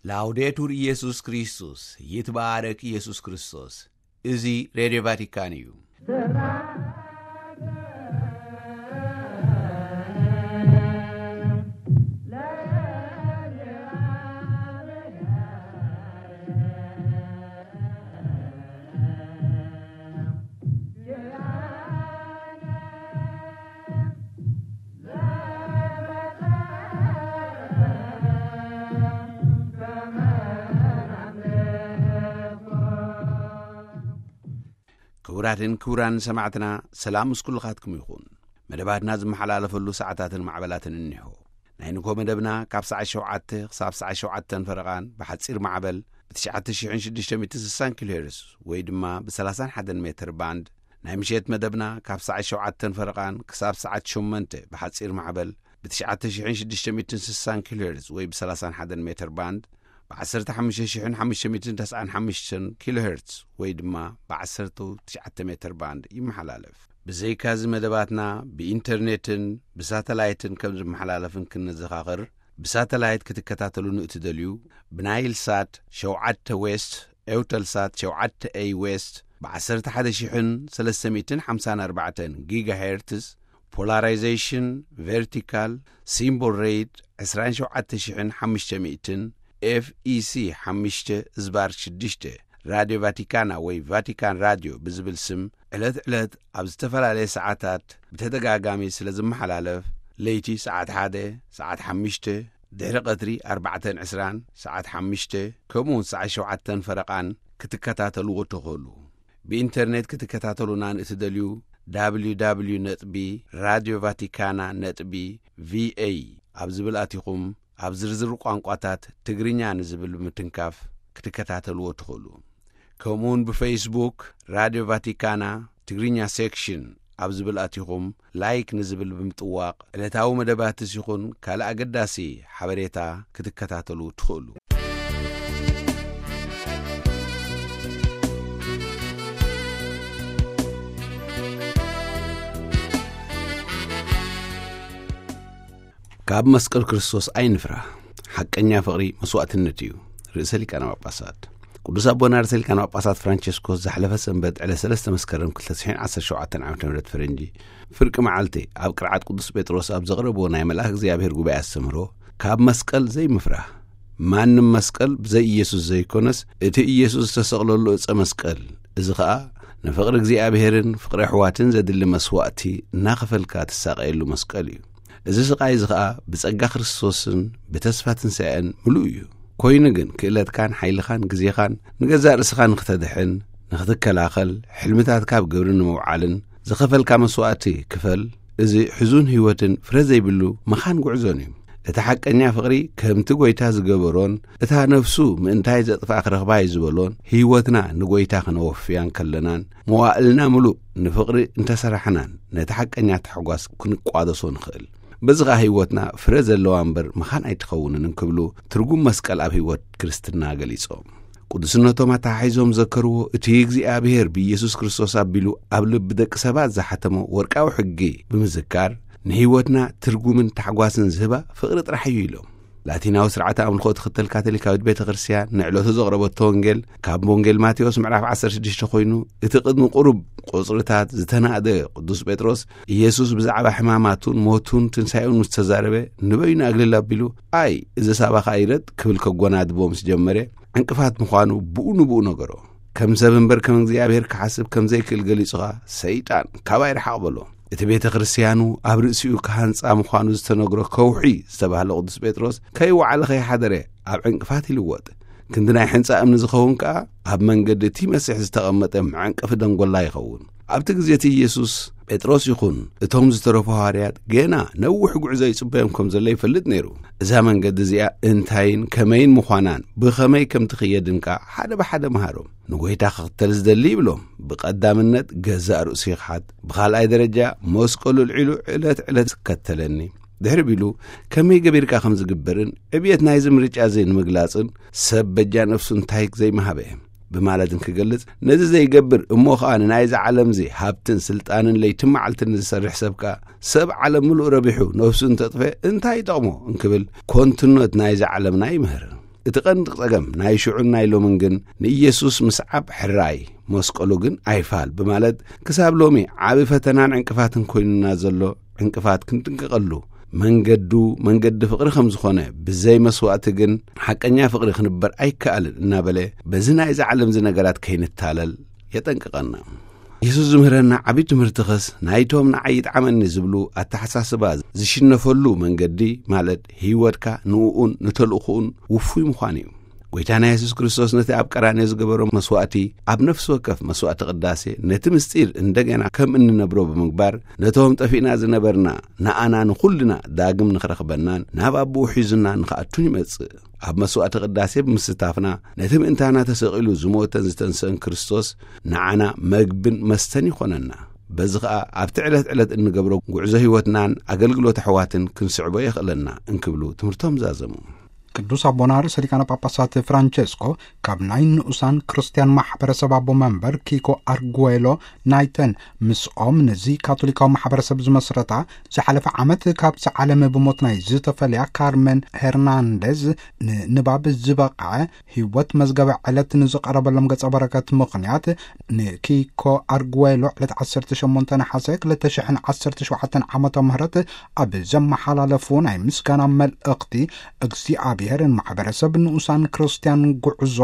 ላውዴቱር ኢየሱስ ክርስቶስ፣ ይትባረክ ኢየሱስ ክርስቶስ። እዚ ሬድዮ ቫቲካን እዩ። ክቡራትን ክቡራን ሰማዕትና፣ ሰላም ምስ ኩልኻትኩም ይኹን። መደባትና ዝመሓላለፈሉ ሰዓታትን ማዕበላትን እኒሆ። ናይ ንግሆ መደብና ካብ ሰዓት ሸውዓተ ክሳብ ሰዓት ሸውዓተን ፈረቓን ብሓጺር ማዕበል ብ ትሽዓተ ሽሕን ሽዱሽተ ሚእትን ስሳን ኪሎ ሄርዝ ወይ ድማ ብ30 ሜትር ባንድ፣ ናይ ምሸት መደብና ካብ ሰዓት ሸውዓተን ፈረቓን ክሳብ ሰዓት ሸሞንተ ብሓጺር ማዕበል ብ ትሽዓተ ሽሕን ሽዱሽተ ሚእትን ስሳን ኪሎ ሄርዝ ወይ ብ30 ሜትር ባንድ፣ ብ ዓሰርተ ሓሙሽተ ሽሕን ሓሙሽተ ሚእትን ተስዓን ሓሙሽተን ኪሎ ሄርዝ ወይ ድማ ብ ዓሰርተ ትሽዓተ ሜትር ባንድ ይመሓላለፍ። ብዘይካዚ መደባትና ብኢንተርኔትን ብሳተላይትን ከም ዝመሓላለፍን ክንዘኻኽር፣ ብሳተላይት ክትከታተሉ ንእትደልዩ፣ ብናይል ሳት ሸውዓተ ዌስት፣ ኤውተል ሳት ሸውዓተ ኤይ ዌስት፣ ብ ዓሰርተ ሓደ ሽሕን ሰለስተ ሚእትን ሓምሳን ኣርባዕተን ጊጋ ሄርትዝ፣ ፖላራይዜሽን ቨርቲካል፣ ሲምቦል ሬት ዕስራን ሸውዓተ ሽሕን ሓሙሽተ ሚእትን፣ ኤፍ ኢ ሲ ሓሙሽተ ዝባር ሽዱሽተ፣ ራድዮ ቫቲካና ወይ ቫቲካን ራድዮ ብዝብል ስም ዕለት ዕለት ኣብ ዝተፈላለየ ሰዓታት ብተደጋጋሚ ስለ ዝመሓላለፍ፣ ለይቲ ሰዓት ሓደ፣ ሰዓት ሓሙሽተ፣ ድሕሪ ቀትሪ ኣርባዕተን ዕስራን፣ ሰዓት ሓሙሽተ፣ ከምኡ እውን ሰዓት ሸውዓተን ፈረቓን ክትከታተልዎ ትኽእሉ። ብኢንተርኔት ክትከታተሉና ንእትደልዩ፣ www ነጥቢ ራድዮ ቫቲካና ነጥቢ ቪኤ ኣብ ዝብል ኣቲኹም፣ ኣብ ዝርዝር ቋንቋታት ትግርኛ ንዝብል ብምትንካፍ ክትከታተልዎ ትኽእሉ። ከምኡውን ብፌስቡክ ራድዮ ቫቲካና ትግርኛ ሴክሽን ኣብ ዝብል ኣቲኹም፣ ላይክ ንዝብል ብምጥዋቕ፣ ዕለታዊ መደባትስ ይኹን ካልእ ኣገዳሲ ሓበሬታ ክትከታተሉ ትኽእሉ። ካብ መስቀል ክርስቶስ ኣይንፍራ። ሓቀኛ ፍቕሪ መስዋእትነት እዩ። ርእሰ ሊቃነ ጳጳሳት። ቅዱስ ኣቦና ርእሰ ሊቃነ ጳጳሳት ፍራንቸስኮስ ዝሓለፈ ሰንበት ዕለት ሰለስተ መስከረም ክልተ ሽሕን ዓሰርተ ሸውዓተን ዓመተ ምህረት ፈረንጂ ፍርቂ መዓልቲ ኣብ ቅርዓት ቅዱስ ጴጥሮስ ኣብ ዘቕረብዎ ናይ መልኣክ እግዚኣብሔር ጉባኤ ኣስተምህሮ፣ ካብ መስቀል ዘይምፍራህ፣ ማንም መስቀል ብዘይ ኢየሱስ ዘይኮነስ፣ እቲ ኢየሱስ ዝተሰቕለሉ ዕጸ መስቀል፣ እዚ ኸኣ ንፍቕሪ እግዚኣብሔርን ፍቕሪ ኣሕዋትን ዘድሊ መስዋእቲ እናኸፈልካ ትሳቐየሉ መስቀል እዩ። እዚ ስቓይ እዚ ኸኣ ብጸጋ ክርስቶስን ብተስፋ ትንሳኤን ምሉእ እዩ። ኮይኑ ግን ክእለትካን ሓይልኻን ግዜኻን ንገዛእ ርእስኻ ንኽተድሕን፣ ንኽትከላኸል፣ ሕልምታትካ ኣብ ግብሪ ንምውዓልን ዝኸፈልካ መስዋእቲ ክፈል። እዚ ሕዙን ህይወትን ፍረ ዘይብሉ መኻን ጉዕዞን እዩ። እቲ ሓቀኛ ፍቕሪ ከምቲ ጐይታ ዝገበሮን እታ ነፍሱ ምእንታይ ዘጥፍኣ ክረኽባ እዩ ዝበሎን ህይወትና ንጐይታ ክነወፍያ እንከለናን መዋእልና ምሉእ ንፍቕሪ እንተሰራሕናን ነቲ ሓቀኛ ታሕጓስ ክንቋደሶ ንኽእል። በዚ ኸኣ ህይወትና ፍረ ዘለዋ እምበር መኻን ኣይትኸውንን እንክብሉ ትርጉም መስቀል ኣብ ህይወት ክርስትና ገሊጾም። ቅዱስነቶም ኣተሓሒዞም ዘከርዎ እቲ እግዚኣብሔር ብኢየሱስ ክርስቶስ ኣቢሉ ኣብ ልቢ ደቂ ሰባት ዝሓተሞ ወርቃዊ ሕጊ ብምዝካር ንህይወትና ትርጉምን ታሕጓስን ዝህባ ፍቕሪ ጥራሕ እዩ ኢሎም። ላቲናዊ ስርዓተ ኣምልኾ ትኽተል ካቶሊካዊት ቤተ ክርስቲያን ንዕለቱ ዘቕረበቶ ወንጌል ካብ ወንጌል ማቴዎስ ምዕራፍ ዓሰርተ ሽዱሽተ ኮይኑ እቲ ቅድሚ ቁሩብ ቁጽርታት ዝተናእደ ቅዱስ ጴጥሮስ ኢየሱስ ብዛዕባ ሕማማቱን ሞቱን ትንሳኤኡን ምስ ተዛረበ ንበይኑ ኣግልል ኣቢሉ ኣይ እዚ ሳባኻ ይረድ ክብል ከጎናድቦ ምስ ጀመረ ዕንቅፋት ምዃኑ ብኡ ንብኡ ነገሮ። ከም ሰብ እምበር ከም እግዚኣብሔር ክሓስብ ከም ዘይክእል ገሊጹኻ ሰይጣን ካባይ ርሓቕ በሎ። እቲ ቤተ ክርስቲያኑ ኣብ ርእሲኡ ክሃንጻ ምዃኑ ዝተነግሮ ከውሒ ዝተባህለ ቅዱስ ጴጥሮስ ከይወዓለ ከይሓደረ ኣብ ዕንቅፋት ይልወጥ። ክንዲ ናይ ሕንጻ እምኒ ዝኸውን ከኣ ኣብ መንገዲ እቲ መሲሕ ዝተቐመጠ መዐንቀፊ ደንጎላ ይኸውን። ኣብቲ ግዜ እቲ ኢየሱስ ጴጥሮስ ይኹን እቶም ዝተረፉ ሃዋርያት ገና ነዊሕ ጉዕዞ ይጽበዮም ከም ዘሎ ይፈልጥ ነይሩ። እዛ መንገዲ እዚኣ እንታይን ከመይን ምዃናን ብኸመይ ከም ትኽየድን ከኣ ሓደ ብሓደ መሃሮም። ንጎይታ ክኽተል ዝደሊ ይብሎም ብቐዳምነት ገዛእ ርእሱ ይኽሓድ። ብኻልኣይ ደረጃ መስቀሉ ኣልዒሉ ዕለት ዕለት ዝከተለኒ። ድሕሪ ቢሉ ከመይ ገቢርካ ከም ዝግበርን ዕብየት ናይዚ ምርጫ እዚ ንምግላጽን ሰብ በጃ ነፍሱ እንታይ ዘይመሃበ ብማለት እንክገልጽ፣ ነዚ ዘይገብር እሞ ኸኣ ንናይዚ ዓለምዚ ሃብትን ስልጣንን ለይትን መዓልትን ንዝሰርሕ ሰብ ከኣ ሰብ ዓለም ምሉእ ረቢሑ ነፍሱ እንተጥፈ እንታይ ይጠቕሞ እንክብል ኮንትነት ናይዚ ዓለምና ይምህር። እቲ ቀንዲ ጸገም ናይ ሽዑን ናይ ሎምን ግን ንኢየሱስ ምስዓብ ሕራይ፣ መስቀሉ ግን ኣይፋል ብማለት ክሳብ ሎሚ ዓቢ ፈተናን ዕንቅፋትን ኮይኑና ዘሎ ዕንቅፋት ክንጥንቀቐሉ፣ መንገዱ መንገዲ ፍቕሪ ከም ዝኾነ፣ ብዘይ መስዋእቲ ግን ሓቀኛ ፍቕሪ ክንበር ኣይከኣልን እናበለ፣ በዚ ናይዚ ዓለም እዚ ነገራት ከይንታለል የጠንቅቐና። የሱስ ዝምህረና ዓቢ ትምህርትኸስ ናይቶም ንዓይ ይጥዓመኒ ዝብሉ ኣተሓሳስባ ዝሽነፈሉ መንገዲ፣ ማለት ህይወትካ ንእኡን ንተልእኾኡን ውፉይ ምዃን እዩ። ጐይታና የሱስ ክርስቶስ ነቲ ኣብ ቀራንዮ ዝገበሮ መስዋእቲ፣ ኣብ ነፍሲ ወከፍ መስዋእቲ ቅዳሴ ነቲ ምስጢር እንደገና ከም እንነብሮ ብምግባር፣ ነቶም ጠፊእና ዝነበርና ንኣና ንኹልና ዳግም ንኽረኽበናን ናብ ኣቦኡ ሒዙና ንኽኣቱን ይመጽእ። ኣብ መስዋእቲ ቅዳሴ ብምስታፍና፣ ነቲ ምእንታና ተሰቒሉ ዝሞተን ዝተንስአን ክርስቶስ ንዓና መግብን መስተን ይኾነና። በዚ ኸኣ ኣብቲ ዕለት ዕለት እንገብሮ ጉዕዞ ህይወትናን ኣገልግሎት ኣሕዋትን ክንስዕቦ የኽእለና እንክብሉ ትምህርቶም ዛዘሙ። ቅዱስ ኣቦና ርእሰ ሊቃነ ጳጳሳት ፍራንቸስኮ ካብ ናይ ንኡሳን ክርስትያን ማሕበረሰብ ኣቦ መንበር ኪኮ ኣርጉዌሎ ናይተን ምስኦም ነዚ ካቶሊካዊ ማሕበረሰብ ዝመስረታ ዝሓለፈ ዓመት ካብዚ ዓለም ብሞት ናይ ዝተፈልያ ካርመን ሄርናንደዝ ንንባብ ዝበቕዐ ህይወት መዝገበ ዕለት ንዝቐረበሎም ገጸ በረከት ምኽንያት ንኪኮ ኣርጉዌሎ ዕለት ዓሰርተ ሸሞንተ ነሓሰ ክልተ ሽሕን ዓሰርተ ሸውዓተን ዓመተ ምህረት ኣብ ዘመሓላለፉ ናይ ምስጋና መልእኽቲ እግዚኣብሔር ንማሕበረሰብ ንኡሳን ክርስትያን ጉዕዞ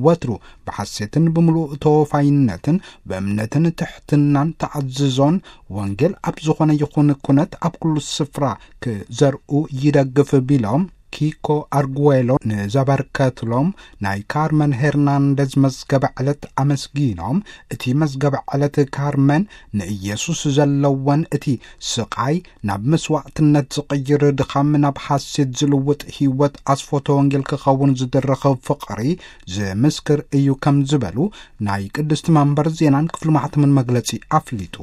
ወትሩ ብሓሴትን ብምሉእ ተወፋይነትን ብእምነትን ትሕትናን ተኣዝዞን ወንጌል ኣብ ዝኾነ ይኹን ኩነት ኣብ ኩሉ ስፍራ ክዘርኡ ይደግፍ ቢሎም ኪኮ ኣርጉዌሎ ንዘበርከትሎም ናይ ካርመን ሄርናንደዝ መዝገበ ዕለት ኣመስጊኖም፣ እቲ መዝገበ ዕለት ካርመን ንኢየሱስ ዘለወን እቲ ስቓይ ናብ መስዋዕትነት ዝቕይር ድኻም ናብ ሓሴት ዝልውጥ ህይወት ኣስፎተ ወንጌል ክኸውን ዝድረኽ ፍቕሪ ዝምስክር እዩ ከም ዝበሉ ናይ ቅድስቲ መንበር ዜናን ክፍሊ ማሕተምን መግለጺ ኣፍሊጡ።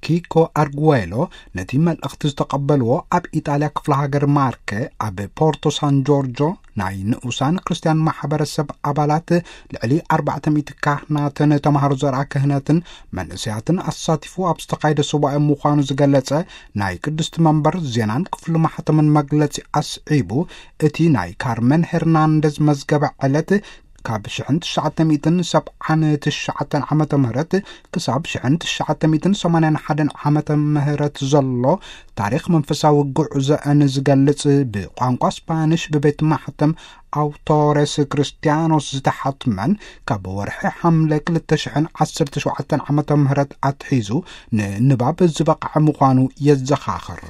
ኪኮ ኣርጉዌሎ ነቲ መልእኽቲ ዝተቐበልዎ ኣብ ኢጣልያ ክፍለ ሃገር ማርከ ኣብ ፖርቶ ሳን ጆርጆ ናይ ንኡሳን ክርስትያን ማሕበረሰብ ኣባላት ልዕሊ ኣርባዕተ ሚእቲ ካህናትን ተምሃሮ ዘርኣ ክህነትን መንእሰያትን ኣሳቲፉ ኣብ ዝተኻየደ ሱባኤ ምዃኑ ዝገለጸ ናይ ቅድስቲ መንበር ዜናን ክፍሊ ማሕተምን መግለጺ ኣስዒቡ፣ እቲ ናይ ካርመን ሄርናንደዝ መዝገበ ዕለት ካብ ሽሕን ትሽዓተ ሚእትን ሰብዓን ትሽዓተን ዓመተ ምህረት ክሳብ ሽሕን ትሽዓተ ሚእትን ሰማንያን ሓደን ዓመተ ምህረት ዘሎ ታሪኽ መንፈሳዊ ጉዕዞአን ዝገልጽ ብቋንቋ ስፓኒሽ ብቤት ማሕተም ኣውቶሬስ ክርስቲያኖስ ዝተሓትመን ካብ ወርሒ ሓምለ ክልተ ሽሕን ዓሰርተ ሸውዓተን ዓመተ ምህረት ኣትሒዙ ንንባብ ዝበቕዐ ምዃኑ የዘኻኽር።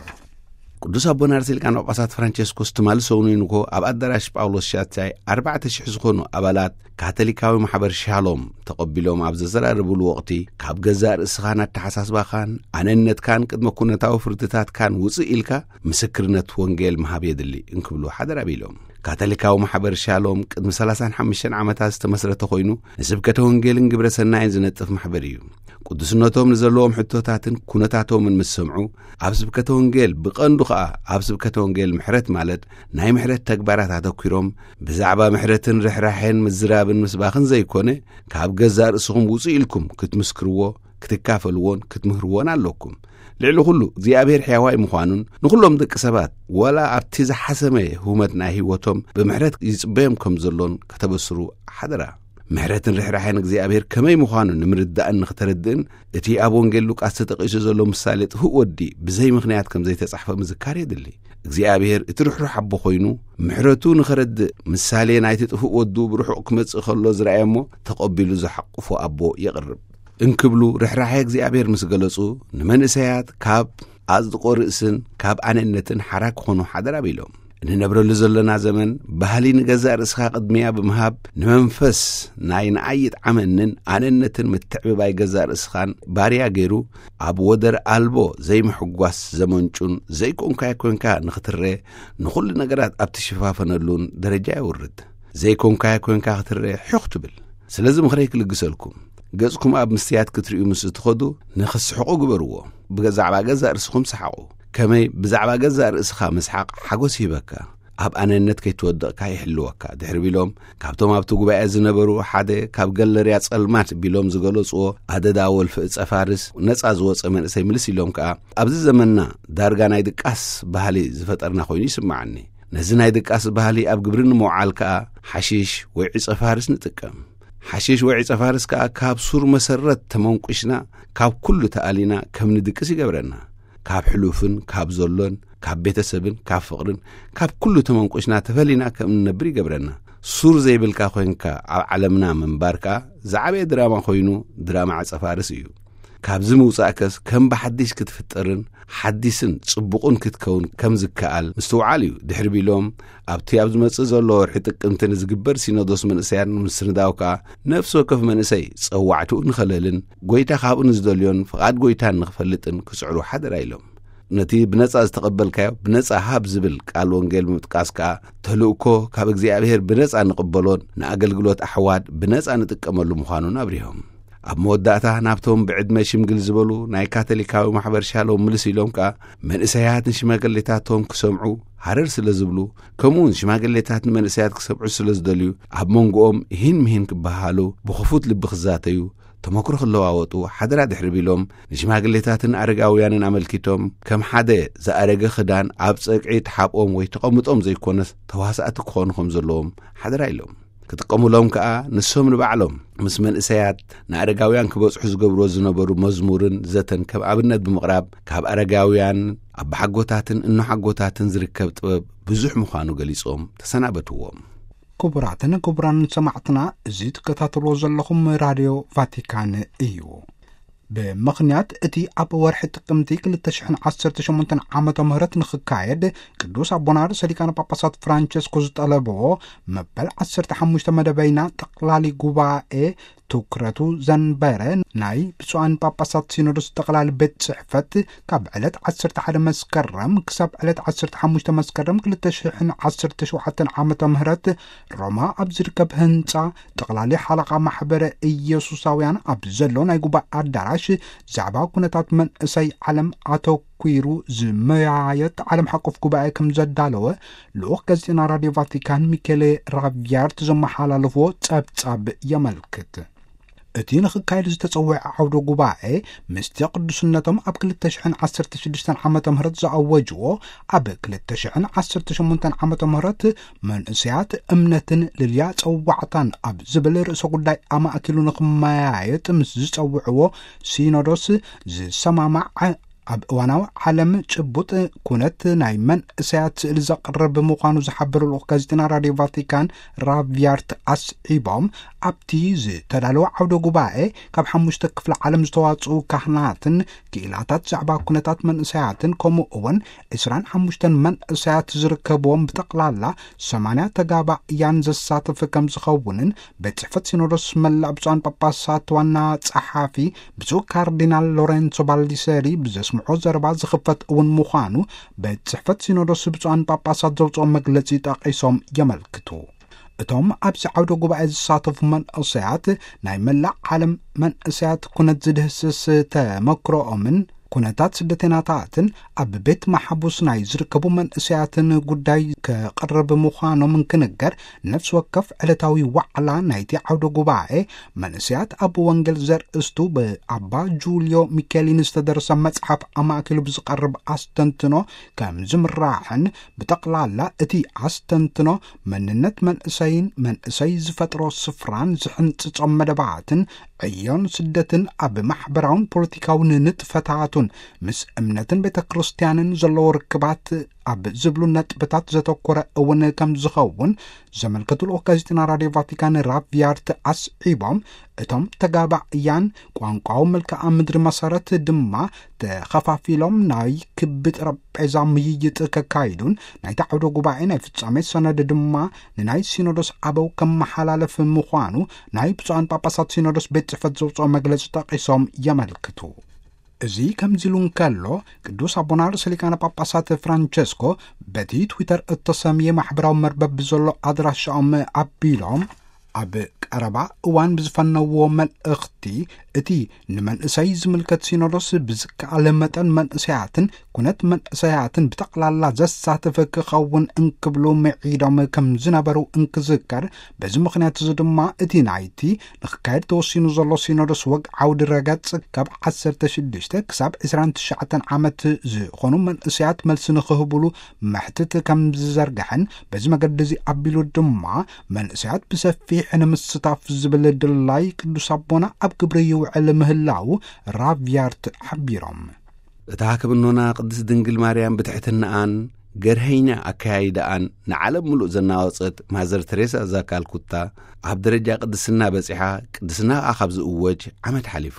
ቅዱስ ኣቦና ርእሰ ሊቃነ ጳጳሳት ፍራንቸስኮስ ትማሊ ሰኑይ ንግሆ ኣብ ኣዳራሽ ጳውሎስ ሻቻይ ኣርባዕተ ሽሕ ዝኾኑ ኣባላት ካቶሊካዊ ማሕበር ሻሎም ተቐቢሎም ኣብ ዘዘራረብሉ ወቕቲ፣ ካብ ገዛእ ርእስኻን ኣተሓሳስባኻን ኣነነትካን ቅድመ ኩነታዊ ፍርድታትካን ውፅእ ኢልካ ምስክርነት ወንጌል ምሃብ የድሊ እንክብሉ ሓደራ ቢሎም። ካቶሊካዊ ማሕበር ሻሎም ቅድሚ ሰላሳን ሓሙሽተን ዓመታት ዝተመስረተ ኮይኑ፣ ንስብከተ ወንጌልን ግብረ ሰናይን ዝነጥፍ ማሕበር እዩ። ቅዱስነቶም ንዘለዎም ሕቶታትን ኩነታቶምን ምስ ሰምዑ፣ ኣብ ስብከተ ወንጌል፣ ብቐንዱ ኸኣ ኣብ ስብከተ ወንጌል ምሕረት፣ ማለት ናይ ምሕረት ተግባራት ኣተኲሮም፣ ብዛዕባ ምሕረትን ርሕራሐን ምዝራብን ምስባኽን ዘይኮነ፣ ካብ ገዛእ ርእስኹም ውጹእ ኢልኩም ክትምስክርዎ፣ ክትካፈልዎን ክትምህርዎን ኣለኩም። ልዕሊ ኹሉ እግዚኣብሔር ሕያዋይ ምዃኑን ንኹሎም ደቂ ሰባት ዋላ ኣብቲ ዝሓሰመ ህውመት ናይ ህይወቶም ብምሕረት ይጽበዮም ከም ዘሎን ከተበስሩ ሓደራ። ምሕረትን ርሕራሐን እግዚኣብሔር ከመይ ምዃኑ ንምርዳእን ንኽተረድእን እቲ ኣብ ወንጌል ሉቃስ ተጠቒሱ ዘሎ ምሳሌ ጥፉእ ወዲ ብዘይ ምኽንያት ከም ዘይተጻሕፈ ምዝካር የድሊ። እግዚኣብሔር እቲ ርሕሩሕ ኣቦ ኮይኑ ምሕረቱ ንኸረድእ ምሳሌ ናይቲ ጥፉእ ወዱ ብርሑቕ ክመጽእ ከሎ ዝረኣየ እሞ ተቐቢሉ ዝሓቁፎ ኣቦ የቕርብ። እንክብሉ ርሕራሐ እግዚኣብሔር ምስ ገለጹ፣ ንመንእሰያት ካብ ኣጽድቆ ርእስን ካብ ኣነነትን ሓራ ክኾኑ ሓደራ ቢሎም። እንነብረሉ ዘለና ዘመን ባህሊ ንገዛእ ርእስኻ ቅድሚያ ብምሃብ፣ ንመንፈስ ናይ ንኣይ ይጥዓመንን ኣነነትን ምትዕብባይ ገዛእ ርእስኻን ባርያ ገይሩ፣ ኣብ ወደር ኣልቦ ዘይምሕጓስ ዘመንጩን ዘይኮንካዮ ኮንካ ንኽትረ፣ ንኹሉ ነገራት ኣብ ትሽፋፈነሉን ደረጃ የውርድ። ዘይኮንካዮ ኮንካ ክትረ ሑኽ ትብል። ስለዚ ምኽረይ ክልግሰልኩም። ገጽኩም ኣብ ምስትያት ክትርእዩ ምስ እትኸዱ፣ ንኽስሕቑ ግበርዎ። ብዛዕባ ገዛእ ርእስኹም ሰሓቑ። ከመይ ብዛዕባ ገዛእ ርእስኻ ምስሓቕ ሓጎስ ይህበካ፣ ኣብ ኣነነት ከይትወድቕካ ይሕልወካ። ድሕሪ ቢሎም፣ ካብቶም ኣብቲ ጉባኤ ዝነበሩ ሓደ ካብ ገለርያ ጸልማት ቢሎም ዝገለጽዎ ኣደዳ ወልፊ እጸ ፋርስ ነጻ ዝወጸ መንእሰይ ምልስ ኢሎም ከኣ፣ ኣብዚ ዘመንና ዳርጋ ናይ ድቃስ ባህሊ ዝፈጠርና ኮይኑ ይስምዓኒ። ነዚ ናይ ድቃስ ባህሊ ኣብ ግብሪ ንምውዓል ከኣ ሓሽሽ ወይ ዕጸ ፋርስ ንጥቀም። ሓሽሽ ወይ ዕጸ ፋርስ ከኣ ካብ ሱር መሰረት ተመንቁሽና፣ ካብ ኩሉ ተኣሊና ከም ንድቅስ ይገብረና። ካብ ሕሉፍን ካብ ዘሎን፣ ካብ ቤተሰብን ካብ ፍቕርን፣ ካብ ኩሉ ተመንቁሽና ተፈሊና ከም እንነብር ይገብረና። ሱር ዘይብልካ ኮይንካ ኣብ ዓለምና ምንባር ከኣ ዝዓበየ ድራማ ኮይኑ፣ ድራማ ዕጸ ፋርስ እዩ። ካብዚ ምውጻእከስ ከም ብሓዲሽ ክትፍጠርን ሓዲስን ጽቡቕን ክትከውን ከም ዝከኣል ምስትውዓል እዩ። ድሕሪ ቢሎም ኣብቲ ኣብ ዝመጽእ ዘሎ ወርሒ ጥቅምቲ ንዝግበር ሲኖዶስ መንእሰያት ንምስንዳው ከኣ ነፍሲ ወከፍ መንእሰይ ጸዋዕትኡ ንኸለልን ጎይታ ካብኡ ንዝደልዮን ፍቓድ ጎይታን ንኽፈልጥን ክጽዕሩ ሓደራ ኢሎም። ነቲ ብነጻ ዝተቐበልካዮ ብነጻ ሃብ ዝብል ቃል ወንጌል ብምጥቃስ ከኣ ተልእኮ ካብ እግዚኣብሔር ብነጻ ንቕበሎን ንኣገልግሎት ኣሕዋት ብነጻ ንጥቀመሉ ምዃኑን ኣብሪሆም። ኣብ መወዳእታ ናብቶም ብዕድመ ሽምግል ዝበሉ ናይ ካቶሊካዊ ማሕበር ሻሎም ምልስ ኢሎም ከኣ መንእሰያት ንሽማግሌታቶም ክሰምዑ ሃረር ስለ ዝብሉ፣ ከምኡውን ሽማግሌታት ንመንእሰያት ክሰምዑ ስለ ዝደልዩ ኣብ መንጎኦም ይህን ምሂን ክበሃሉ ብኽፉት ልቢ ክዛተዩ ተመክሮ ክለዋወጡ ሓደራ ድሕሪ ቢሎም፣ ንሽማግሌታትን ኣረጋውያንን ኣመልኪቶም ከም ሓደ ዝኣረገ ክዳን ኣብ ጸግዒ ተሓብኦም ወይ ተቐምጦም ዘይኮነስ ተዋሳእቲ ክኾኑ ከም ዘለዎም ሓደራ ኢሎም። ክጥቀሙሎም ከኣ ንሶም ንባዕሎም ምስ መንእሰያት ንኣረጋውያን ክበጽሑ ዝገብርዎ ዝነበሩ መዝሙርን ዘተን ከም ኣብነት ብምቕራብ፣ ካብ ኣረጋውያን ኣቦሓጎታትን እኖሓጎታትን ዝርከብ ጥበብ ብዙሕ ምዃኑ ገሊጾም ተሰናበትዎም። ክቡራትን ክቡራን ሰማዕትና፣ እዚ ትከታተልዎ ዘለኹም ራድዮ ቫቲካን እዩ። ብምኽንያት እቲ ኣብ ወርሒ ጥቅምቲ ክልተ ሽሕን ዓሰርተ ሸሞንተን ዓመተ ምህረት ንኽካየድ ቅዱስ ኣቦና ርእሰ ሊቃነ ጳጳሳት ፍራንቸስኮ ዝጠለብዎ መበል ዓሰርተ ሓሙሽተ መደበይና ጠቕላሊ ጉባኤ ትኩረቱ ዘንበረ ናይ ብፁዓን ጳጳሳት ሲኖዶስ ጠቕላሊ ቤት ጽሕፈት ካብ ዕለት ዓሰርተ ሓደ መስከረም ክሳብ ዕለት ዓሰርተ ሓሙሽተ መስከረም ክልተ ሽሕን ዓሰርተ ሸውዓተን ዓመተ ምህረት ሮማ ኣብ ዝርከብ ህንጻ ጠቕላሊ ሓለቓ ማሕበረ ኢየሱሳውያን ኣብ ዘሎ ናይ ጉባኤ ኣዳራሽ ዛዕባ ኩነታት መንእሰይ ዓለም ኣተኲሩ ዝመያየጥ ዓለም ሓቆፍ ጉባኤ ከም ዘዳለወ ልኡኽ ጋዜጠና ራድዮ ቫቲካን ሚኬሌ ራቪያርት ዘመሓላለፍዎ ጸብጻብ የመልክት። እቲ ንኽካየድ ዝተጸውዐ ዓውደ ጉባኤ ምስቲ ቅዱስነቶም ኣብ ክልተ ሽሕን ዓሰርተ ሽዱሽተን ዓመተ ምህረት ዝኣወጅዎ ኣብ ክልተ ሽሕን ዓሰርተ ሸሞንተን ዓመተ ምህረት መንእሰያት እምነትን ልልያ ጸዋዕታን ኣብ ዝብል ርእሰ ጉዳይ ኣማእኪሉ ንኽመያየጥ ምስ ዝጸውዕዎ ሲኖዶስ ዝሰማማዕ ኣብ እዋናዊ ዓለም ጭቡጥ ኩነት ናይ መንእሰያት ስእሊ ዘቕርብ ምዃኑ ዝሓበሩ ልኡኽ ጋዜጠና ራድዮ ቫቲካን ራቪያርት ኣስዒቦም፣ ኣብቲ ዝተዳለወ ዓውደ ጉባኤ ካብ ሓሙሽተ ክፍለ ዓለም ዝተዋጽኡ ካህናትን ክኢላታት ዛዕባ ኩነታት መንእሰያትን ከምኡ እውን ዕስራን ሓሙሽተን መንእሰያት ዝርከብዎም ብጠቕላላ ሰማንያ ተጋባእያን ዘሳተፈ ከም ዝኸውንን ቤት ጽሕፈት ሲኖዶስ መላእ ብፁዓን ጳጳሳት ዋና ጸሓፊ ብፁዕ ካርዲናል ሎሬንሶ ባልዲሰሪ ብዘስምዖ ዘረባ ዝኽፈት እውን ምዃኑ ቤት ጽሕፈት ሲኖዶስ ብፁዓን ጳጳሳት ዘውፅኦ መግለጺ ጠቒሶም የመልክቱ። እቶም ኣብዚ ዓውደ ጉባኤ ዝሳተፉ መንእሰያት ናይ መላእ ዓለም መንእሰያት ኩነት ዝድህስስ ተመክሮኦምን ኩነታት ስደተኛታትን ኣብ ቤት ማሕቡስ ናይ ዝርከቡ መንእሰያትን ጉዳይ ከቕርብ ምዃኖም እንክንገር፣ ነፍሲ ወከፍ ዕለታዊ ዋዕላ ናይቲ ዓውደ ጉባኤ መንእሰያት ኣብ ወንጌል ዘርእስቱ ብኣባ ጁልዮ ሚኬሊን ዝተደርሰ መጽሓፍ ኣማእኪሉ ብዝቐርብ ኣስተንትኖ ከም ዝምራሕን፣ ብጠቕላላ እቲ ኣስተንትኖ መንነት መንእሰይን መንእሰይ ዝፈጥሮ ስፍራን ዝሕንጽጾም መደባትን ዕዮን ስደትን ኣብ ማሕበራውን ፖለቲካውን ንጥፈታቱን ምስ እምነትን ቤተ ክርስቲያንን ዘለዎ ርክባት ኣብ ዝብሉ ነጥብታት ዘተኮረ እውን ከም ዝኸውን ዘመልከቱ ልኡኽ ጋዜጠና ራድዮ ቫቲካን ራቪያርት ኣስዒቦም፣ እቶም ተጋባእያን ቋንቋዊ መልክዓ ምድሪ መሰረት ድማ ተኸፋፊሎም ናይ ክቢ ጠረጴዛ ምይይጥ ከካይዱን ናይቲ ዓውደ ጉባኤ ናይ ፍጻሜ ሰነድ ድማ ንናይ ሲኖዶስ ኣበው ከመሓላለፍ ምዃኑ ናይ ብፁዓን ጳጳሳት ሲኖዶስ ቤት ጽሕፈት ዘውፅኦ መግለጺ ጠቒሶም የመልክቱ። እዚ ከምዚ ኢሉ እንከሎ፣ ቅዱስ ኣቦና ርእሰ ሊቃነ ጳጳሳት ፍራንቸስኮ በቲ ትዊተር እተሰምየ ማሕበራዊ መርበብ ብዘሎ ኣድራሻኦም ኣቢሎም፣ ኣብ ቀረባ እዋን ብዝፈነዎ መልእኽቲ፣ እቲ ንመንእሰይ ዝምልከት ሲኖዶስ ብዝከኣለ መጠን መንእሰያትን ኩነት መንእሰያትን ብጠቕላላ ዘሳተፈ ክኸውን እንክብሉ ምዒዶም ከም ዝነበሩ እንክዝከር፣ በዚ ምኽንያት እዚ ድማ እቲ ናይቲ ንክካየድ ተወሲኑ ዘሎ ሲኖዶስ ወግ ዓውዲ ረገጽ ካብ ዓሰርተ ሽዱሽተ ክሳብ ዕስራን ትሽዓተን ዓመት ዝኾኑ መንእሰያት መልሲ ንክህብሉ መሕትት ከም ዝዘርግሐን፣ በዚ መገዲ እዚ ኣቢሉ ድማ መንእሰያት ብሰፊሕ ንምስታፍ ዝብል ድላይ ቅዱስ ኣቦና ኣብ ግብሪ ይውዕል ምህላው ራቪያርት ሓቢሮም። እታ ክብኖና ቅድስት ድንግል ማርያም ብትሕትናኣን ገርሀይና ኣከያይዳኣን ንዓለም ምሉእ ዘናወጸት ማዘር ተሬሳ ዛካልኩታ ኣብ ደረጃ ቅድስና በጺሓ፣ ቅድስና ከኣ ካብ ዝእወጅ ዓመት ሓሊፉ።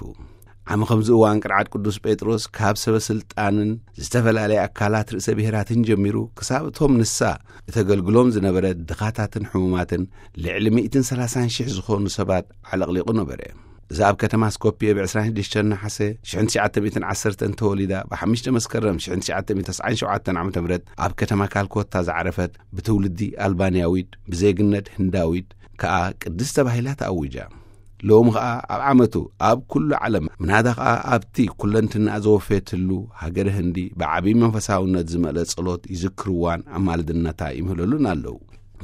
ዓሚ ከምዚ እዋን ቅርዓት ቅዱስ ጴጥሮስ ካብ ሰበ ስልጣንን ዝተፈላለየ ኣካላት ርእሰ ብሔራትን ጀሚሩ ክሳብ እቶም ንሳ እተገልግሎም ዝነበረ ድኻታትን ሕሙማትን ልዕሊ ሚእትን ሰላሳን ሽሕ ዝኾኑ ሰባት ዓለቕሊቑ ነበረ። እዛ ኣብ ከተማ ስኮፕየ ብ ዕስራን ሽዱሽተን ነሓሰ ሽሕን ትሽዓተ ሚእትን ዓሰርተን ተወሊዳ፣ ብ ሓሙሽተ መስከረም ሽሕን ትሽዓተ ሚእትን ተስዓን ሸውዓተን ዓመተ ምህረት ኣብ ከተማ ካልኮታ ዝዓረፈት፣ ብትውልዲ ኣልባንያዊት ብዜግነት ህንዳዊት ከኣ ቅድስት ተባሂላ ተኣዊጃ። ሎሚ ኸኣ ኣብ ዓመቱ ኣብ ኩሉ ዓለም፣ ምናዳ ኸኣ ኣብቲ ኩለንትናኣ ዘወፈየትሉ ሃገረ ህንዲ ብዓብዪ መንፈሳውነት ዝመልአ ጸሎት ይዝክርዋን ኣማልድነታ ይምህለሉን ኣለዉ።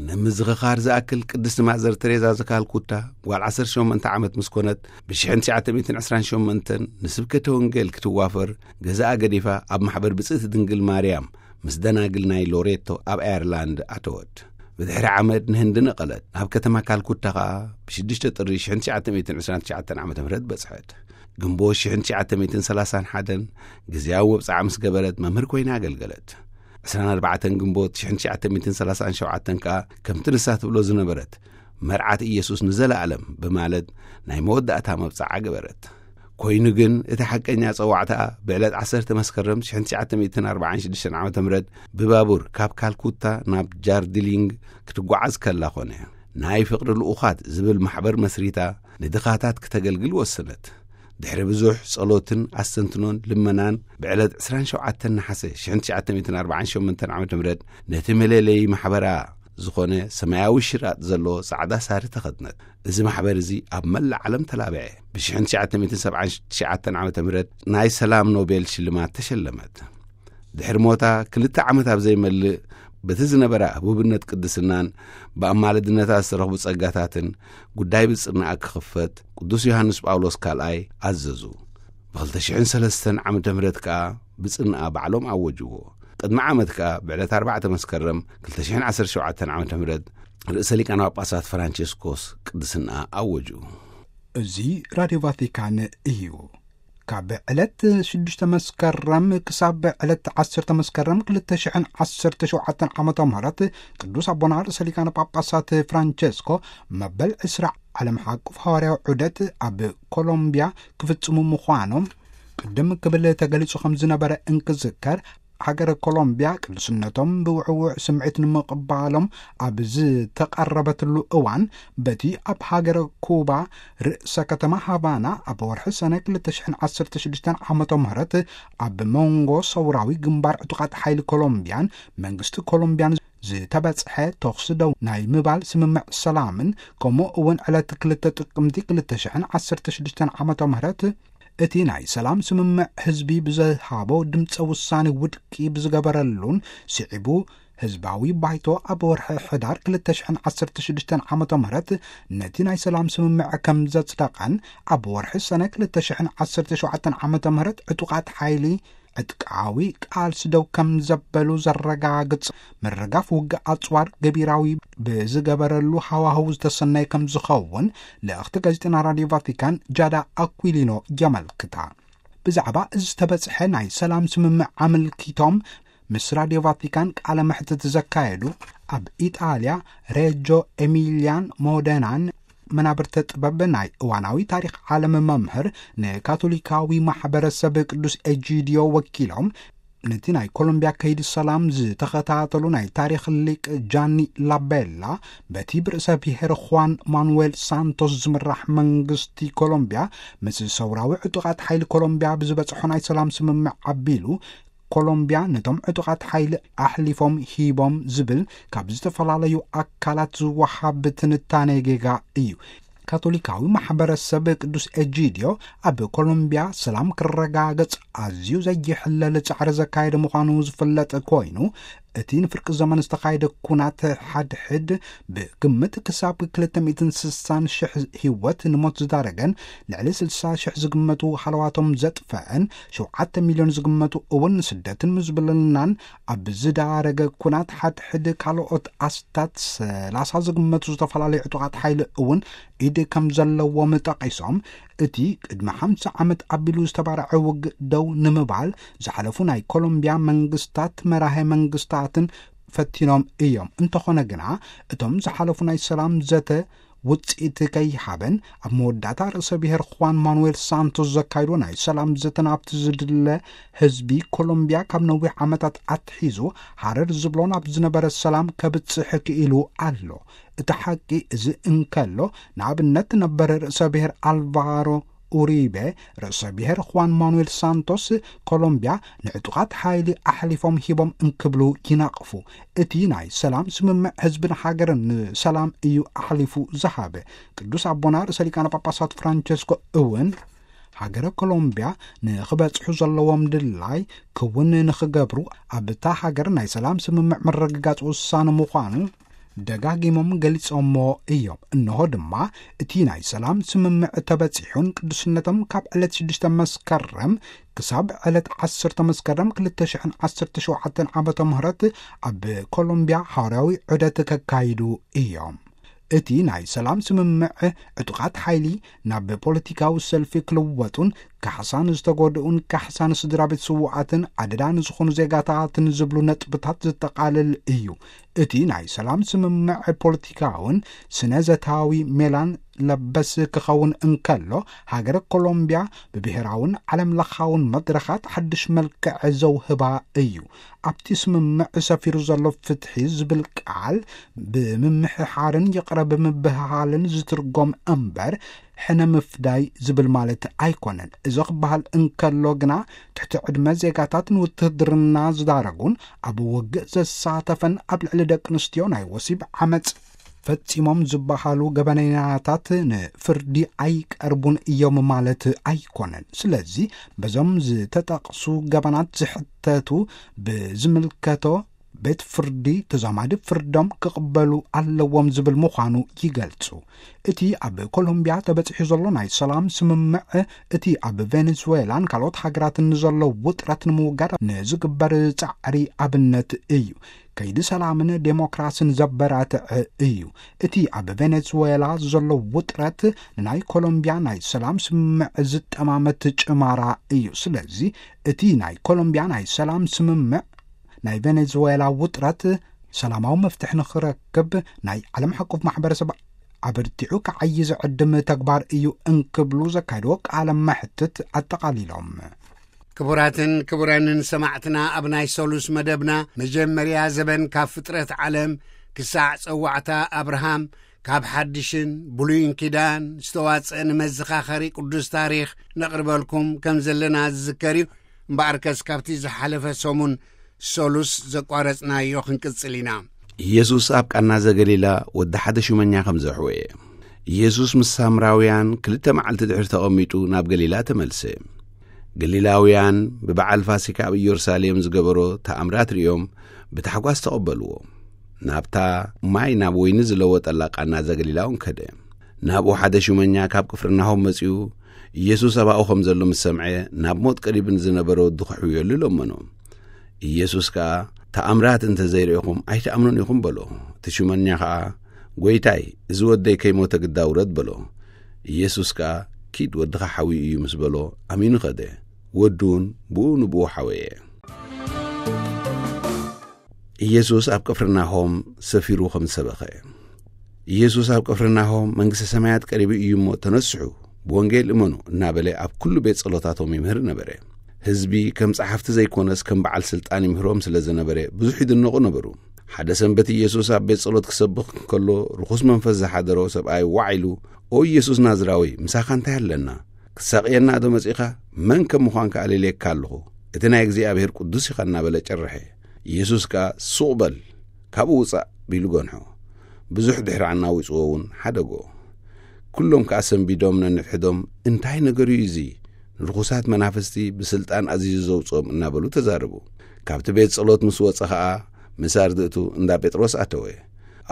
ንምዝኽኻር ዝኣክል ቅድስቲ ማዘር ተሬዛ ዘካልኩታ ጓል ዓሰርተ ሸሞንተ ዓመት ምስ ኮነት፣ ብ ሽሕን ትሽዓተ ሚእትን ዕስራን ሸሞንተን ንስብከተ ወንጌል ክትዋፈር ገዛኣ ገዲፋ ኣብ ማሕበር ብጽእቲ ድንግል ማርያም ምስ ደናግል ናይ ሎሬቶ ኣብ ኣየርላንድ ኣተወት። ብድሕሪ ዓመት ንህንዲ ነቐለት። ናብ ከተማ ካልኩታ ኸኣ ብ ሽዱሽተ ጥሪ ሽሕን ትሽዓተ ሚእትን ዕስራን ትሽዓተን ዓመተ ምህረት በጽሐት። ግንቦት ሽሕን ትሽዓተ ሚእትን ሰላሳን ሓደን ግዝያዊ መብጽዓ ምስ ገበረት መምህር ኮይና ኣገልገለት። ዕስራን ኣርባዕተን ግንቦት ሽሕን ትሽዓተ ሚእትን ሰላሳን ሸውዓተን ከኣ ከምቲ ንሳ ትብሎ ዝነበረት መርዓት ኢየሱስ ንዘለኣለም ብማለት ናይ መወዳእታ መብጽዓ ገበረት። ኮይኑ ግን እቲ ሓቀኛ ጸዋዕታኣ ብዕለት ዓሰርተ መስከረም ሽሕን ትሽዓተ ሚእትን ኣርባዓን ሽዱሽተን ዓመተ ምህረት ብባቡር ካብ ካልኩታ ናብ ጃርዲሊንግ ክትጓዓዝ ከላ ኮነ። ናይ ፍቕሪ ልኡኻት ዝብል ማሕበር መስሪታ ንድኻታት ክተገልግል ወሰነት። ድሕሪ ብዙሕ ጸሎትን ኣስተንትኖን ልመናን ብዕለት ዕስራን ሸውዓተን ነሓሰ ሽሕን ትሽዓተ ሚእትን ኣርባዓን ሸሞንተን ዓመተ ምህረት ነቲ መለለዪ ማሕበራ ዝኾነ ሰማያዊ ሽራጥ ዘለዎ ጻዕዳ ሳሪ ተኸድነት። እዚ ማሕበር እዚ ኣብ መላእ ዓለም ተላብዐ። ብ ሽሕን ትሽዓተ ሚእትን ሰብዓን ትሽዓተን ዓመተ ምህረት ናይ ሰላም ኖቤል ሽልማት ተሸለመት። ድሕሪ ሞታ ክልተ ዓመት ኣብ ዘይመልእ፣ በቲ ዝነበራ ህቡብነት ቅድስናን ብኣማልድነታ ዝተረኽቡ ጸጋታትን ጉዳይ ብጽርናኣ ክኽፈት ቅዱስ ዮሃንስ ጳውሎስ ካልኣይ ኣዘዙ። ብ ክልተ ሽሕን ሰለስተን ዓመተ ምህረት ከኣ ብጽርናኣ ባዕሎም ኣወጅዎ። ቅድሚ ዓመት ከኣ ብዕለት ኣርባዕተ መስከረም ክልተ ሽሕን ዓሰርተ ሸውዓተን ዓመተ ምህረት ርእሰ ሊቃነ ጳጳሳት ፍራንቸስኮስ ቅድስና ኣወጁ። እዚ ራድዮ ቫቲካን እዩ። ካብ ዕለት ሽዱሽተ መስከረም ክሳብ ዕለት ዓሰርተ መስከረም ክልተ ሽሕን ዓሰርተ ሸውዓተን ዓመተ ምህረት ቅዱስ ኣቦና ርእሰ ሊቃነ ጳጳሳት ፍራንቸስኮ መበል ዕስራ ዓለም ሓቁፍ ሃዋርያዊ ዑደት ኣብ ኮሎምቢያ ክፍጽሙ ምዃኖም ቅድም ክብል ተገሊጹ ከም ዝነበረ እንክዝከር፣ ሃገረ ኮሎምቢያ ቅዱስነቶም ብውዕውዕ ስምዒት ንምቕባሎም ኣብ ዝተቐረበትሉ እዋን፣ በቲ ኣብ ሃገረ ኩባ ርእሰ ከተማ ሃቫና ኣብ ወርሒ ሰነ ክልተ ሽሕን ዓሰርተ ሽዱሽተን ዓመተ ምህረት ኣብ መንጎ ሰውራዊ ግንባር ዕጡቓት ሓይሊ ኮሎምቢያን መንግስቲ ኮሎምቢያን ዝተበጽሐ ተኹሲ ደው ናይ ምባል ስምምዕ ሰላምን፣ ከምኡ እውን ዕለት ክልተ ጥቅምቲ ክልተ ሽሕን ዓሰርተ ሽዱሽተን ዓመተ ምህረት እቲ ናይ ሰላም ስምምዕ ህዝቢ ብዝሃቦ ድምፀ ውሳኔ ውድቂ ብዝገበረሉን ስዒቡ ህዝባዊ ባይቶ ኣብ ወርሒ ሕዳር ክልተ ሽሕን ዓሰርተ ሽዱሽተን ዓመተ ምህረት ነቲ ናይ ሰላም ስምምዕ ከም ዘጽደቐን ኣብ ወርሒ ሰነ ክልተ ሽሕን ዓሰርተ ሸውዓተን ዓመተ ምህረት ዕጡቓት ሓይሊ ዕጥቃዊ ቃልሲ ደው ከም ዘበሉ ዘረጋግጽ ምርጋፍ ውግእ ኣጽዋር ገቢራዊ ብዝገበረሉ ሃዋህው ዝተሰነየ ከም ዝኸውን ልእኽቲ ጋዜጠና ራድዮ ቫቲካን ጃዳ ኣኩሊኖ የመልክታ። ብዛዕባ እዚ ዝተበጽሐ ናይ ሰላም ስምምዕ ኣመልኪቶም ምስ ራድዮ ቫቲካን ቃለ መሕትት ዘካየዱ ኣብ ኢጣልያ ሬጆ ኤሚልያን ሞደናን መናብርተ ጥበብ ናይ እዋናዊ ታሪኽ ዓለም መምህር ንካቶሊካዊ ማሕበረሰብ ቅዱስ ኤጂዲዮ ወኪሎም ነቲ ናይ ኮሎምቢያ ከይዲ ሰላም ዝተኸታተሉ ናይ ታሪኽ ሊቅ ጃኒ ላቤላ በቲ ብርእሰ ብሔር ኹዋን ማኑዌል ሳንቶስ ዝምራሕ መንግስቲ ኮሎምቢያ ምስ ሰውራዊ ዕጡቓት ሓይሊ ኮሎምቢያ ብዝበጽሖ ናይ ሰላም ስምምዕ ኣቢሉ ኮሎምቢያ ነቶም ዕጡቓት ሓይሊ ኣሕሊፎም ሂቦም ዝብል ካብ ዝተፈላለዩ ኣካላት ዝወሃብ ትንታኔ ጌጋ እዩ። ካቶሊካዊ ማሕበረሰብ ቅዱስ ኤጂድዮ ኣብ ኮሎምቢያ ሰላም ክረጋገጽ ኣዝዩ ዘይሕለል ጻዕሪ ዘካየደ ምዃኑ ዝፍለጥ ኮይኑ፣ እቲ ንፍርቂ ዘመን ዝተኻየደ ኩናት ሓድሕድ ብግምት ክሳብ ክልተ ሚእትን ስሳን ሽሕ ህይወት ንሞት ዝዳረገን ልዕሊ ስልሳ ሽሕ ዝግመቱ ሃለዋቶም ዘጥፈአን ሸውዓተ ሚልዮን ዝግመቱ እውን ንስደትን ምዝብልናን ኣብ ዝዳረገ ኩናት ሓድሕድ ካልኦት ኣስታት ሰላሳ ዝግመቱ ዝተፈላለዩ ዕጡቓት ሓይሊ እውን ኢድ ከም ዘለዎም ጠቒሶም፣ እቲ ቅድሚ ሓምሳ ዓመት ኣቢሉ ዝተባርዐ ውግእ ደው ንምባል ዝሓለፉ ናይ ኮሎምቢያ መንግስታት መራሄ መንግስታትን ፈቲኖም እዮም። እንተኾነ ግና እቶም ዝሓለፉ ናይ ሰላም ዘተ ውጽኢት ከይሃበን ኣብ መወዳእታ ርእሰ ብሔር ኹዋን ማኑዌል ሳንቶስ ዘካይዶ ናይ ሰላም ዘተ ናብቲ ዝድለ ህዝቢ ኮሎምቢያ ካብ ነዊሕ ዓመታት ኣትሒዙ ሃረር ዝብሎ ናብ ዝነበረ ሰላም ከብጽሕ ክኢሉ ኣሎ። እቲ ሓቂ እዚ እንከሎ፣ ንኣብነት ነበር ርእሰ ብሔር ኣልቫሮ ኡሪቤ ርእሰ ብሔር ኹዋን ማኑዌል ሳንቶስ ኮሎምቢያ ንዕጡቓት ሓይሊ ኣሕሊፎም ሂቦም እንክብሉ ይነቕፉ። እቲ ናይ ሰላም ስምምዕ ህዝብን ሃገርን ንሰላም እዩ ኣሕሊፉ ዝሃበ። ቅዱስ ኣቦና ርእሰ ሊቃነ ጳጳሳት ፍራንቸስኮ እውን ሃገረ ኮሎምቢያ ንኽበጽሑ ዘለዎም ድላይ ክውን ንኽገብሩ ኣብታ ሃገር ናይ ሰላም ስምምዕ ምርግጋጽ ውሳነ ምዃኑ ደጋጊሞም ገሊጾሞ እዮም። እንሆ ድማ እቲ ናይ ሰላም ስምምዕ ተበጺሑን ቅዱስነቶም ካብ ዕለት ሽዱሽተ መስከረም ክሳብ ዕለት ዓሰርተ መስከረም ክልተ ሽሕን ዓሰርተ ሸውዓተን ዓመተ ምህረት ኣብ ኮሎምቢያ ሃዋርያዊ ዑደት ከካይዱ እዮም። እቲ ናይ ሰላም ስምምዕ ዕጡቓት ሓይሊ ናብ ፖለቲካዊ ሰልፊ ክልወጡን ካሕሳን ዝተጎድኡን ካሕሳን ስድራ ቤት ስውኣትን ኣደዳ ንዝኾኑ ዜጋታትን ዝብሉ ነጥብታት ዘጠቓልል እዩ። እቲ ናይ ሰላም ስምምዕ ፖለቲካውን ስነ ዘታዊ ሜላን ለበስ ክኸውን እንከሎ፣ ሃገረ ኮሎምቢያ ብብሔራውን ዓለም ለኻውን መድረኻት ሓድሽ መልክዕ ዘውህባ እዩ። ኣብቲ ስምምዕ ሰፊሩ ዘሎ ፍትሒ ዝብል ቃል ብምምሕሓርን ይቕረ ብምብህሃልን ዝትርጎም እምበር ሕነ ምፍዳይ ዝብል ማለት ኣይኮነን። እዚ ክበሃል እንከሎ ግና ትሕቲ ዕድመ ዜጋታት ንውትህድርና ዝዳረጉን ኣብ ውግእ ዘሳተፈን ኣብ ልዕሊ ደቂ ኣንስትዮ ናይ ወሲብ ዓመፅ ፈጺሞም ዝበሃሉ ገበነኛታት ንፍርዲ ኣይቀርቡን እዮም ማለት ኣይኮነን። ስለዚ በዞም ዝተጠቕሱ ገበናት ዝሕተቱ ብዝምልከቶ ቤት ፍርዲ ተዛማዲ ፍርዶም ክቕበሉ ኣለዎም ዝብል ምዃኑ ይገልጹ። እቲ ኣብ ኮሎምቢያ ተበጺሑ ዘሎ ናይ ሰላም ስምምዕ እቲ ኣብ ቬኔዙዌላን ካልኦት ሃገራትን ንዘሎ ውጥረት ንምውጋድ ንዝግበር ጻዕሪ ኣብነት እዩ። ከይዲ ሰላምን ዴሞክራስን ዘበራትዕ እዩ። እቲ ኣብ ቬኔዙዌላ ዘሎ ውጥረት ንናይ ኮሎምቢያ ናይ ሰላም ስምምዕ ዝጠማመት ጭማራ እዩ። ስለዚ እቲ ናይ ኮሎምቢያ ናይ ሰላም ስምምዕ ናይ ቬኔዙዌላ ውጥረት ሰላማዊ መፍትሒ ንኽረክብ ናይ ዓለም ሓቆፍ ማሕበረሰብ ኣበርቲዑ ክዓዪ ዝዕድም ተግባር እዩ እንክብሉ ዘካየድዎ ቃለ መሕትት ኣጠቓሊሎም። ክቡራትን ክቡራንን ሰማዕትና፣ ኣብ ናይ ሰሉስ መደብና መጀመርያ ዘበን ካብ ፍጥረት ዓለም ክሳዕ ጸዋዕታ ኣብርሃም፣ ካብ ሓድሽን ብሉይን ኪዳን ዝተዋጸአ ንመዘኻኸሪ ቅዱስ ታሪኽ ነቕርበልኩም ከም ዘለና ዝዝከር እዩ። እምበኣርከስ ካብቲ ዝሓለፈ ሰሙን ሰሉስ ዘቋረጽናዮ ክንቅጽል ኢና። ኢየሱስ ኣብ ቃና ዘገሊላ ወዲ ሓደ ሹመኛ ከም ዘሕወየ። ኢየሱስ ምስ ሳምራውያን ክልተ መዓልቲ ድሕሪ ተቐሚጡ ናብ ገሊላ ተመልሰ። ገሊላውያን ብበዓል ፋሲካ ኣብ ኢየሩሳሌም ዝገበሮ ተኣምራት ርእዮም ብታሕጓስ ተቐበልዎ። ናብታ ማይ ናብ ወይኒ ዝለወጠላ ቃና ዘገሊላ እውን ከደ። ናብኡ ሓደ ሹመኛ ካብ ቅፍርናሆም መጺኡ፣ ኢየሱስ ኣብኡ ከም ዘሎ ምስ ሰምዐ፣ ናብ ሞት ቀሪቡ ንዝነበረ ወዱ ከሕውየሉ ለመኖ። ኢየሱስ ከኣ፣ "ተኣምራት እንተ ዘይርኢኹም ኣይትኣምኑን ኢኹም" በሎ። እቲ ሹመኛ ኸኣ፣ "ጐይታይ፣ እዚ ወደይ ከይሞተ ግዳ ውረድ" በሎ። ኢየሱስ ከኣ፣ "ኪድ፣ ወድኻ ሓውዩ እዩ" ምስ በሎ፣ ኣሚኑ ኸደ። ወዱ እውን ብኡ ንብኡ ሓወየ። ኢየሱስ ኣብ ቅፍርናሆም ሰፊሩ ከም ዝሰበኸ። ኢየሱስ ኣብ ቅፍርናሆም፣ "መንግስተ ሰማያት ቀሪቡ እዩ እሞ ተነስሑ፣ ብወንጌል እመኑ" እናበለ ኣብ ኩሉ ቤት ጸሎታቶም ይምህር ነበረ። ህዝቢ ከም ጸሓፍቲ ዘይኮነስ ከም በዓል ስልጣን ይምህሮም ስለ ዝነበረ ብዙሕ ይድነቑ ነበሩ። ሓደ ሰንበት ኢየሱስ ኣብ ቤት ጸሎት ክሰብኽ ከሎ ርኹስ መንፈስ ዝሓደሮ ሰብኣይ ዋዕ ኢሉ፣ "ኦ ኢየሱስ ናዝራዊ፣ ምሳኻ እንታይ ኣለና? ክትሳቕየና ዶ መጺኻ? መን ከም ምዃንካ ኣለልየካ ኣለኹ። "እቲ ናይ እግዚኣብሔር ቅዱስ ኢኻ" እናበለ ጨርሐ። ኢየሱስ ከኣ "ሱቕ በል፣ ካብኡ ውጻእ" ቢሉ ገንሖ። ብዙሕ ድሕሪ ኣናዊጽዎ እውን ሓደጎ። ኩሎም ከኣ ሰንቢዶም ነንሕድሕዶም፣ "እንታይ ነገር እዩ እዚ? ንርኹሳት መናፍስቲ ብስልጣን ኣዚዙ ዘውጽኦም" እናበሉ ተዛረቡ። ካብቲ ቤት ጸሎት ምስ ወጸ ኸኣ ምስ ኣርድእቱ እንዳ ጴጥሮስ ኣተወ።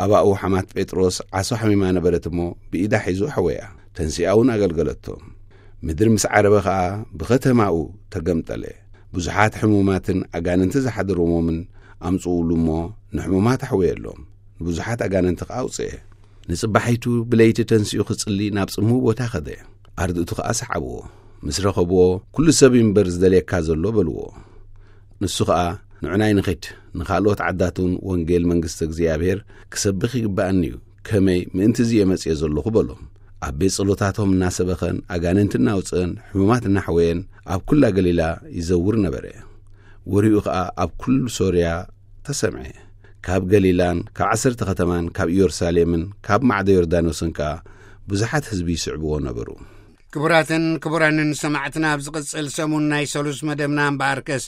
ኣባኡ ሓማት ጴጥሮስ ዓሶ ሓሚማ ነበረት እሞ ብኢዳ ሒዙ ኣሕወያ። ተንሲኣ እውን ኣገልገለቶ። ምድሪ ምስ ዓረበ ኸኣ ብኸተማኡ ተገምጠለ። ብዙሓት ሕሙማትን ኣጋንንቲ ዝሓደርዎምን ኣምጽኡሉ እሞ ንሕሙማት ኣሕወየሎም። ንብዙሓት ኣጋንንቲ ኸኣ ኣውጽኤ። ንጽባሒቱ ብለይቲ ተንሲኡ ክጽሊ ናብ ጽምው ቦታ ኸደ። ኣርድእቱ ኸኣ ሰዓብዎ። ምስ ረኸብዎ፣ "ኩሉ ሰብ እዩ እምበር ዝደልየካ ዘሎ" በልዎ። ንሱ ኸኣ፣ "ንዑናይ ንኺድ፣ ንኻልኦት ዓዳት እውን ወንጌል መንግስቲ እግዚኣብሔር ክሰብኽ ይግብኣኒ እዩ። ከመይ ምእንቲ እዚ እየ መጺኤ ዘለኹ" በሎም። ኣብ ቤት ጸሎታቶም እናሰበኸን ኣጋንንቲ እናውጽአን ሕሙማት እናሕወየን ኣብ ኩላ ገሊላ ይዘውር ነበረ። ወሬኡ ኸኣ ኣብ ኩሉ ሶርያ ተሰምዐ። ካብ ገሊላን ካብ ዓሰርተ ከተማን ካብ ኢየሩሳሌምን ካብ ማዕዶ ዮርዳኖስን ከኣ ብዙሓት ህዝቢ ይስዕብዎ ነበሩ። ክቡራትን ክቡራንን ሰማዕትና፣ ኣብ ዝቕጽል ሰሙን ናይ ሰሉስ መደብና እምበኣርከስ፣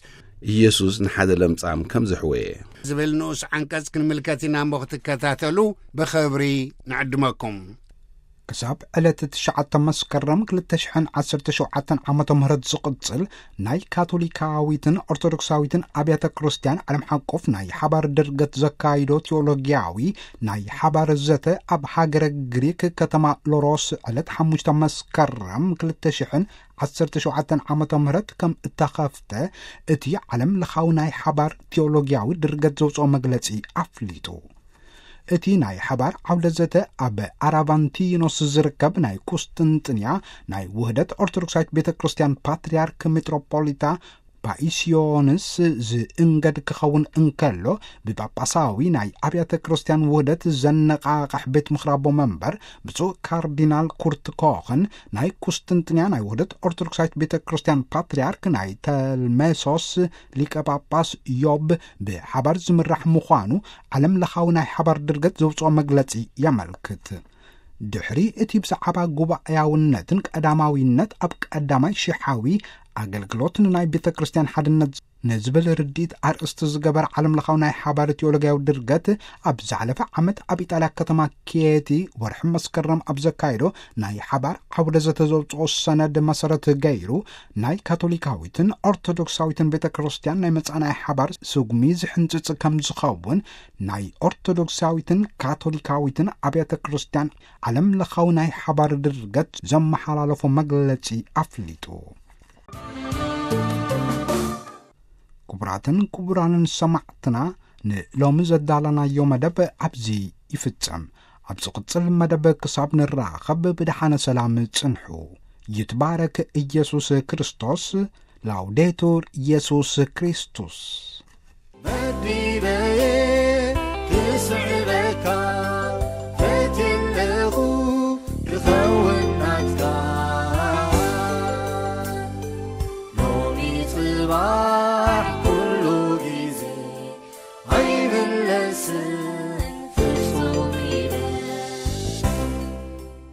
"ኢየሱስ ንሓደ ለምጻም ከም ዘሕወየ" ዝብል ንኡስ ዓንቀጽ ክንምልከት ኢና እሞ ክትከታተሉ ብኽብሪ ንዕድመኩም። ክሳብ ዕለት ትሽዓተ መስከረም ክልተ ሽሕን ዓሰርተ ሸውዓተን ዓመተ ምህረት ዝቕጽል ናይ ካቶሊካዊትን ኦርቶዶክሳዊትን ኣብያተ ክርስቲያን ዓለም ሓቆፍ ናይ ሓባር ድርገት ዘካይዶ ቴዎሎጊያዊ ናይ ሓባር ዘተ ኣብ ሃገረ ግሪክ ከተማ ሎሮስ ዕለት ሓሙሽተ መስከረም ክልተ ሽሕን ዓሰርተ ሸውዓተን ዓመተ ምህረት ከም እተኸፍተ እቲ ዓለም ለኻዊ ናይ ሓባር ቴዎሎጊያዊ ድርገት ዘውፅኦ መግለጺ ኣፍሊጡ። እቲ ናይ ሓባር ዓውደ ዘተ ኣብ ኣራቫንቲኖስ ዝርከብ ናይ ቁስጥንጥንያ ናይ ውህደት ኦርቶዶክሳዊት ቤተ ክርስቲያን ፓትርያርክ ሜትሮፖሊታ ፓይስዮንስ ዝእንገድ ክኸውን እንከሎ፣ ብጳጳሳዊ ናይ ኣብያተ ክርስቲያን ውህደት ዘነቓቕሕ ቤት ምኽራቦ መንበር ብፁዕ ካርዲናል ኩርት ኮኽን ናይ ቁስጥንጥንያ ናይ ውህደት ኦርቶዶክሳዊት ቤተ ክርስቲያን ፓትርያርክ ናይ ተልሜሶስ ሊቀ ጳጳስ ዮብ ብሓባር ዝምራሕ ምዃኑ ዓለም ለኻዊ ናይ ሓባር ድርገት ዘውፅኦ መግለጺ የመልክት። ድሕሪ እቲ ብዛዕባ ጉባኤያውነትን ቀዳማዊነት ኣብ ቀዳማይ ሽሓዊ ኣገልግሎት ንናይ ቤተ ክርስቲያን ሓድነት ንዝብል ርድኢት ኣርእስቲ ዝገበር ዓለም ለኻዊ ናይ ሓባር ቴዎሎጊያዊ ድርገት፣ ኣብ ዝሓለፈ ዓመት ኣብ ኢጣልያ ከተማ ኬቲ ወርሒ መስከረም ኣብ ዘካየዶ ናይ ሓባር ዓውደ ዘተ ዘውፅኦ ሰነድ መሰረት ገይሩ፣ ናይ ካቶሊካዊትን ኦርቶዶክሳዊትን ቤተ ክርስቲያን ናይ መጻኢ ናይ ሓባር ስጉሚ ዝሕንጽጽ ከም ዝኸውን ናይ ኦርቶዶክሳዊትን ካቶሊካዊትን ኣብያተ ክርስቲያን ዓለም ለኻዊ ናይ ሓባር ድርገት ዘመሓላለፎ መግለጺ ኣፍሊጡ። ክቡራትን ክቡራንን ሰማዕትና፣ ንሎሚ ዘዳለናዮ መደብ ኣብዚ ይፍጸም። ኣብ ዝቕጽል መደብ ክሳብ ንራኸብ ብደሓነ ሰላም ጽንሑ። ይትባረክ ኢየሱስ ክርስቶስ። ላውዴቱር ኢየሱስ ክርስቶስ። መዲበየ ክስዕበካ